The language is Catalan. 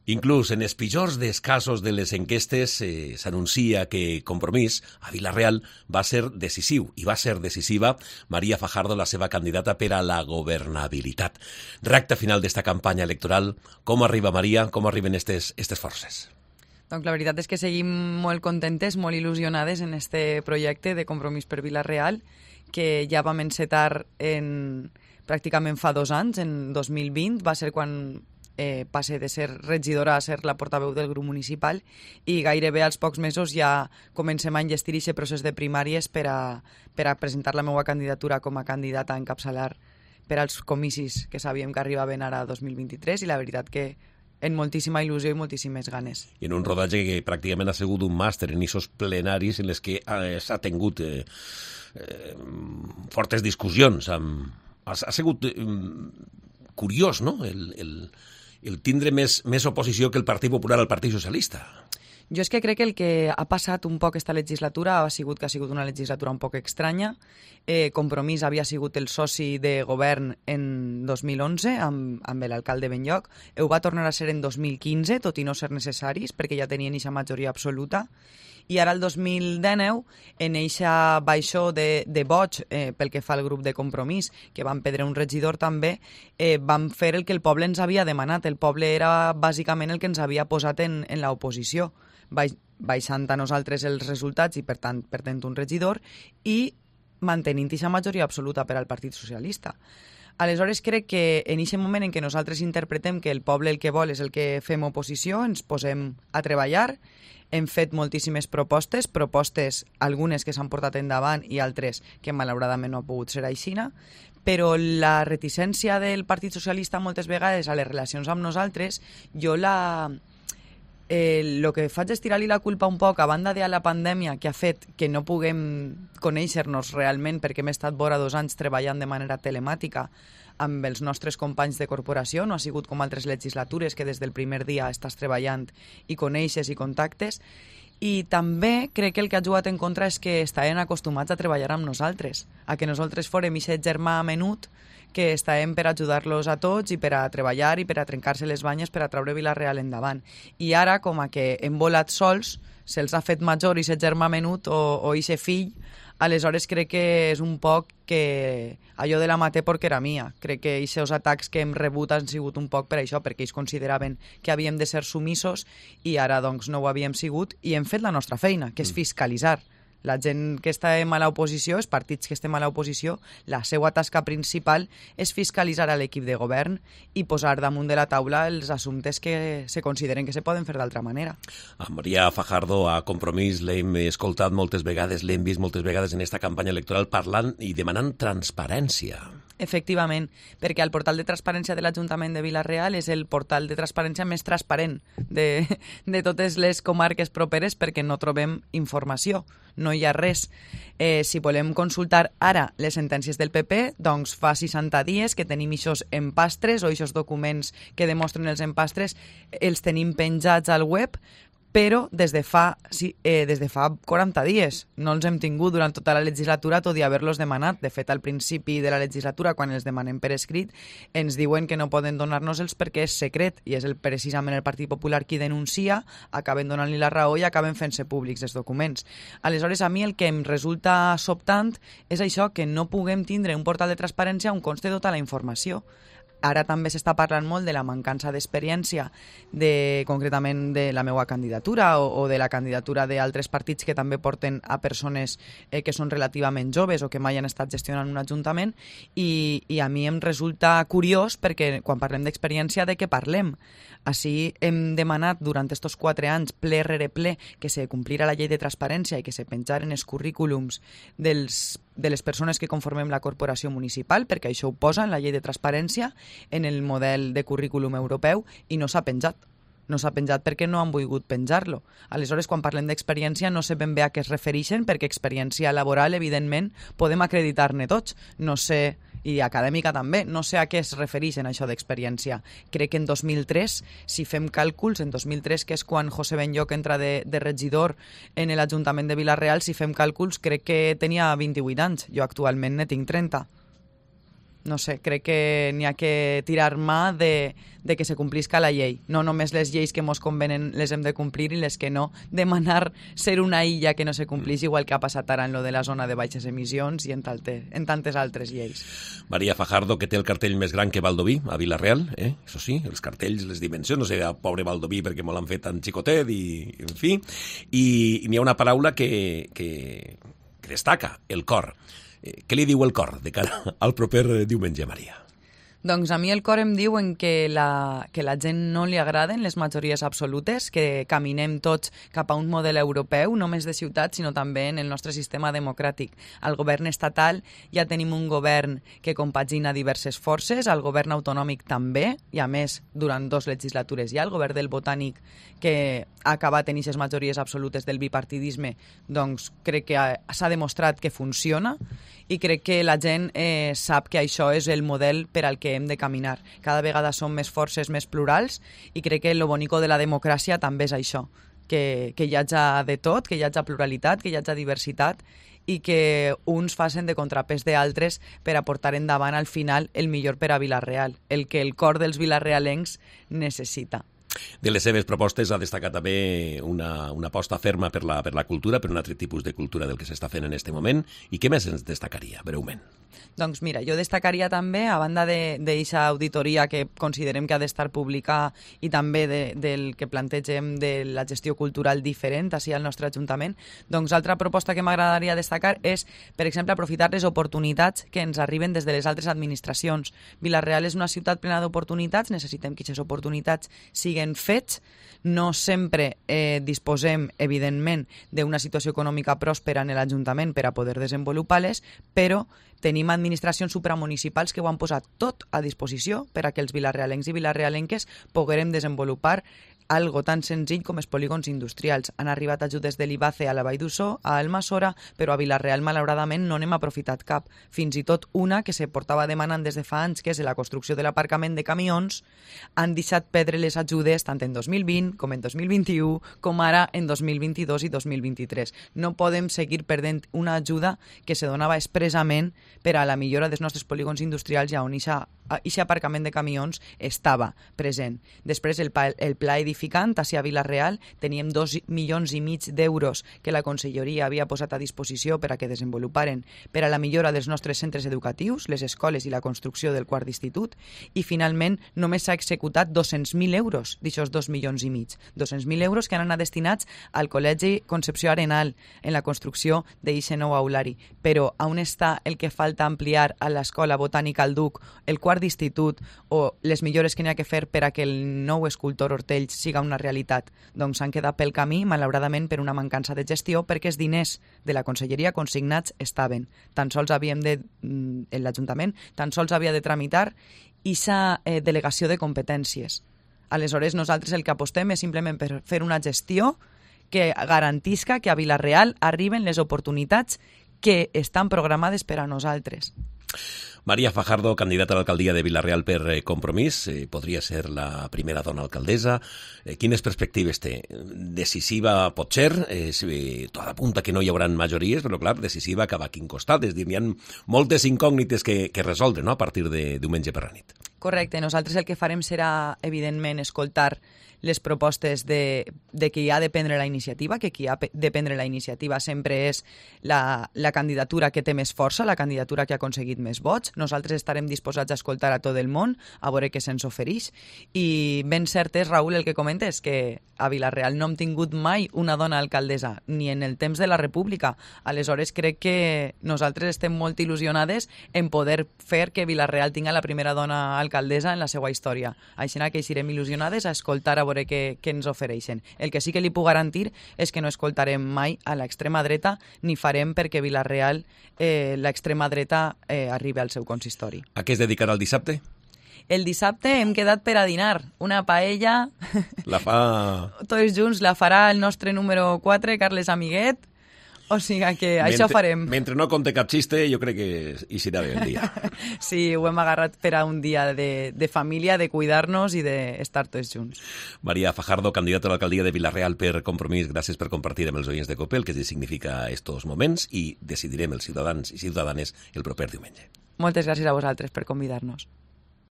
Inclús en els pitjors dels casos de les enquestes s'anuncia que Compromís a Vila-real va ser decisiu i va ser decisiva Maria Fajardo, la seva candidata per a la governabilitat. Recta final d'esta campanya electoral. Com arriba Maria? Com arriben estes forces? Doncs la veritat és que seguim molt contentes, molt il·lusionades en este projecte de Compromís per Vila-real, que ja vam encetar pràcticament fa 2 anys, en 2020, va ser quan passe de ser regidora a ser la portaveu del grup municipal, i gairebé als pocs mesos ja comencem a enllestir aquest procés de primàries per a presentar la meva candidatura com a candidata a encapçalar per als comicis que sabíem que arribaven ara a 2023, i la veritat que en moltíssima il·lusió i moltíssimes ganes. I en un rodatge que pràcticament ha sigut un màster en aquests plenaris en els que s'ha tingut fortes discussions. Ha sigut curiós, no?, el tindre més oposició que el Partit Popular al Partit Socialista. Jo és que crec que el que ha passat un poc esta legislatura ha sigut que ha sigut una legislatura un poc estranya. Compromís havia sigut el soci de govern en 2011 amb l'alcalde Benlloc. Ho va tornar a ser en 2015, tot i no ser necessaris, perquè ja tenien aquesta majoria absoluta. I ara el 2019, en eixa baixó de boig pel que fa al grup de Compromís, que van perdre un regidor també, vam fer el que el poble ens havia demanat. El poble era bàsicament el que ens havia posat en l'oposició, baixant a nosaltres els resultats i, per tant, perdent un regidor i mantenint aquesta majoria absoluta per al Partit Socialista. Aleshores, crec que en aquest moment en què nosaltres interpretem que el poble el que vol és el que fem oposició, ens posem a treballar. Hem fet moltíssimes propostes, algunes que s'han portat endavant i altres que malauradament no ha pogut ser aixina, però la reticència del Partit Socialista moltes vegades a les relacions amb nosaltres, jo el que faig és tirar-li la culpa un poc, a banda de la pandèmia que ha fet que no puguem conèixer-nos realment perquè hem estat vora 2 anys treballant de manera telemàtica amb els nostres companys de corporació. No ha sigut com altres legislatures que des del primer dia estàs treballant i coneixes i contactes. I també crec que el que ha jugat en contra és que estaven acostumats a treballar amb nosaltres, a que nosaltres fórem aquest germà menut que estàvem per ajudar-los a tots i per a treballar i per a trencar-se les banyes per a treure Vila-real endavant. I ara, com a que hem volat sols, se'ls ha fet major aquest germà menut o aquest fill, aleshores crec que és un poc que allò de la maté porque era mia. Crec que aquests atacs que hem rebut han sigut un poc per això, perquè ells consideraven que havíem de ser sumissos i ara doncs no ho havíem sigut i hem fet la nostra feina, que és fiscalitzar. La gent que estem a l'oposició, els partits que estem a l'oposició, la seva tasca principal és fiscalitzar a l'equip de govern i posar damunt de la taula els assumptes que se consideren que se poden fer d'altra manera. A Maria Fajardo, a Compromís, l'hem escoltat moltes vegades, l'hem vist moltes vegades en aquesta campanya electoral parlant i demanant transparència. Efectivament, perquè el portal de transparència de l'Ajuntament de Vila-real és el portal de transparència més transparent de totes les comarques properes, perquè no trobem informació, no hi ha res. Si volem consultar ara les sentències del PP, doncs fa 60 dies que tenim aquests empastres o aquests documents que demostren els empastres, els tenim penjats al web, però des de fa 40 dies. No els hem tingut durant tota la legislatura, tot i haver-los demanat. De fet, al principi de la legislatura, quan els demanem per escrit, ens diuen que no poden donar-nos-els perquè és secret, i és precisament el Partit Popular qui denuncia, acaben donant-li la raó i acaben fent-se públics els documents. Aleshores, a mi el que em resulta sobtant és això, que no puguem tindre un portal de transparència on conste tota la informació. Ara també s'està parlant molt de la mancança d'experiència, concretament de la meva candidatura o de la candidatura d'altres partits que també porten a persones que són relativament joves o que mai han estat gestionant un ajuntament, i a mi em resulta curiós perquè quan parlem d'experiència, de què parlem? Així hem demanat durant aquests 4 anys, ple rere ple, que se complira la llei de transparència i que se penjaren els currículums de les persones que conformem la corporació municipal, perquè això ho posa en la llei de transparència, en el model de currículum europeu, i no s'ha penjat. No s'ha penjat perquè no han volgut penjar-lo. Aleshores, quan parlem d'experiència, no sé ben bé a què es refereixen, perquè experiència laboral, evidentment, podem acreditar-ne tots. No sé, i acadèmica també, no sé a què es refereixen això d'experiència. Crec que en 2003, si fem càlculs, en 2003, que és quan José Benlloc entra de regidor en l'Ajuntament de Vila-real, si fem càlculs, crec que tenia 28 anys. Jo actualment ne tinc 30. no sé, crec que n'hi ha que tirar mà de que se complisca la llei. No només les lleis que mos convenen les hem de complir i les que no, demanar ser una illa que no se complís, igual que ha passat ara en lo de la zona de baixes emissions i en tantes altres lleis. Maria Fajardo, que té el cartell més gran que Baldoví, a Vila-real, Això sí, els cartells, les dimensions, no sé, pobre Baldoví, perquè me l'han fet tan xicotet, i en fi. I n'hi ha una paraula que destaca, el cor. Què li diu el cor de cara al proper diumenge, Maria? Doncs a mi el cor em diu que la gent no li agraden les majories absolutes, que caminem tots cap a un model europeu, no només de ciutat, sinó també en el nostre sistema democràtic. Al govern estatal ja tenim un govern que compagina diverses forces, al govern autonòmic també, i a més, durant 2 legislatures ja, el govern del Botànic, que ha acabat en aquestes majories absolutes del bipartidisme, doncs crec que s'ha demostrat que funciona, i crec que la gent sap que això és el model per al que hem de caminar. Cada vegada som més forces, més plurals, i crec que el bonico de la democràcia també és això, que hi hagi de tot, que hi hagi pluralitat, que hi hagi diversitat, i que uns facin de contrapès d'altres per a portar endavant al final el millor per a Vila-real, el que el cor dels vilarrealencs necessita. De les seves propostes ha destacat també una aposta ferma per la cultura, per un altre tipus de cultura del que s'està fent en aquest moment. I què més ens destacaria, breument? Doncs mira, jo destacaria també, a banda d'aquesta auditoria que considerem que ha d'estar pública i també del que plantegem de la gestió cultural diferent així al nostre Ajuntament, doncs altra proposta que m'agradaria destacar és, per exemple, aprofitar les oportunitats que ens arriben des de les altres administracions. Vila-real és una ciutat plena d'oportunitats, necessitem que aquestes oportunitats siguin fets. No sempre disposem, evidentment, d'una situació econòmica pròspera en l'Ajuntament per a poder desenvolupar-les, però tenim administracions supramunicipals que ho han posat tot a disposició per a que els vilarrealencs i vilarrealenques poguérem desenvolupar algo tan senzill com els polígons industrials. Han arribat ajudes de l'IBACE a la Vall d'Ussó, a Almassora, però a Vila-real, malauradament, no n'hem aprofitat cap. Fins i tot una que se portava demanant des de fa anys, que és la construcció de l'aparcament de camions, han deixat perdre les ajudes tant en 2020 com en 2021, com ara en 2022 i 2023. No podem seguir perdent una ajuda que se donava expressament per a la millora dels nostres polígons industrials i on aquest aparcament de camions estava present. Després, el pla edificant hacia Vila-real, teníem 2,5 milions d'euros que la Conselleria havia posat a disposició per a que desenvoluparen per a la millora dels nostres centres educatius, les escoles i la construcció del quart d'institut, i finalment només s'ha executat 200.000 euros d'aixòs 2,5 milions. 200.000 euros que han anat destinats al Col·legi Concepció Arenal en la construcció d'aquest nou aulari. Però on està el que falta ampliar a l'Escola Botànica al Duc, el quart d'institut o les millores que n'hi ha que fer per a que el nou escultor Hortells siga una realitat? Doncs s'han quedat pel camí, malauradament, per una mancança de gestió, perquè els diners de la Conselleria consignats estaven. Tan sols l'Ajuntament tan sols havia de tramitar aquesta delegació de competències. Aleshores, nosaltres el que apostem és simplement per fer una gestió que garantisca que a Vila-real arriben les oportunitats que estan programades per a nosaltres. Maria Fajardo, candidata a l'alcaldia de Vila-real per Compromís, podria ser la primera dona alcaldessa. Quines perspectives té? Decisiva pot ser, tot apunta que no hi haurà majories, però clar, decisiva cap a quin costat. És dir, hi ha moltes incògnites que resoldre, no?, a partir de diumenge per la nit. Correcte. Nosaltres el que farem serà, evidentment, escoltar les propostes de qui ha de prendre la iniciativa, que qui ha de prendre la iniciativa sempre és la candidatura que té més força, la candidatura que ha aconseguit més vots. Nosaltres estarem disposats a escoltar a tot el món, a veure què se'ns ofereix. I ben cert és, Raül, el que comentes, que a Vila-real no hem tingut mai una dona alcaldessa, ni en el temps de la República. Aleshores, crec que nosaltres estem molt il·lusionades en poder fer que Vila-real tinga la primera dona alcaldessa en la seva història. Així que serem il·lusionades a escoltar a veure què ens ofereixen. El que sí que li puc garantir és que no escoltarem mai a l'extrema dreta ni farem perquè Vila-real l'extrema dreta arribi al seu consistori. A què es dedicarà el dissabte? El dissabte hem quedat per a dinar. Una paella... La fa... Tots junts la farà el nostre número 4, Carles Amiguet. O sigui que això farem. Mentre no conte cap xiste, jo crec que hi serà bé el dia. Sí, ho hem agarrat per a un dia de família, de cuidar-nos i d'estar tots junts. Maria Fajardo, candidata a l'alcaldia de Vila-real per Compromís, gràcies per compartir amb els oients de COPE el que significa estos moments i decidirem els ciutadans i ciutadanes el proper diumenge. Moltes gràcies a vosaltres per convidar-nos.